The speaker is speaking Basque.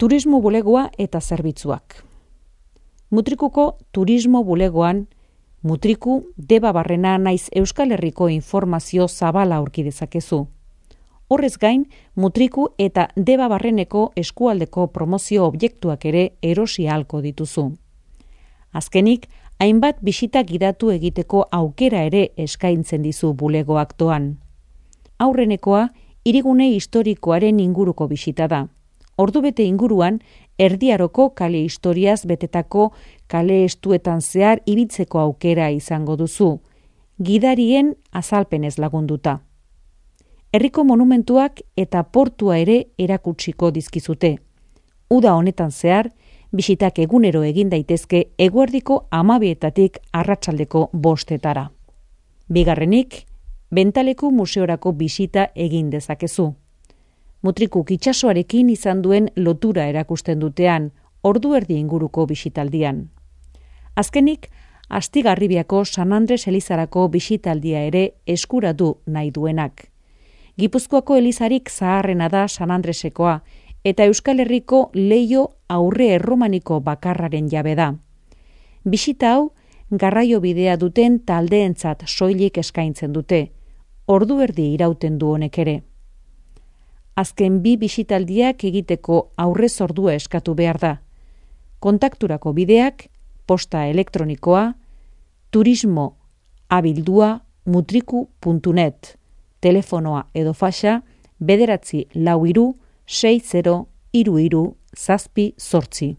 Turismo bulegoa eta zerbitzuak. Mutrikuko turismo bulegoan, Mutriku, Debabarrena naiz Euskal Herriko informazio zabala aurki dezakezu. Horrez gain, Mutriku eta Debabarreneko eskualdeko promozio objektuak ere erosi ahalko dituzu. Azkenik, hainbat bisita gidatu egiteko aukera ere eskaintzen dizu bulegoak doan. Aurrenekoa, hirigune historikoaren inguruko bisita da. Ordubete inguruan, Erdiaroko kale historiaz betetako kale estuetan zehar ibiltzeko aukera izango duzu, gidarien azalpenez lagunduta. Herriko monumentuak eta portua ere erakutsiko dizkizute. Uda honetan zehar, bisitak egunero egin daitezke eguerdiko 12:00 arratsaldeko 5:00. Bigarrenik, Bentaleku museorako bisita egin dezakezu. Mutrikuk itsasoarekin izan duen lotura erakusten dutean, ordu erdi inguruko bisitaldian. Azkenik, Astigarribiako San Andres Elizarako bisitaldia ere eskuratu nahi duenak. Gipuzkoako elizarik zaharrena da San Andresekoa, eta Euskal Herriko leiho aurre erromaniko bakarraren jabe da. Bisita hau, garraio bidea duten taldeentzat soilik eskaintzen dute, ordu erdi irauten du honek ere. Azken 2 bisitaldiak egiteko aurrez ordua eskatu behar da. Kontakturako bideak, posta elektronikoa, turismo@mutriku.net, telefonoa edo faxa 943 60 33 7.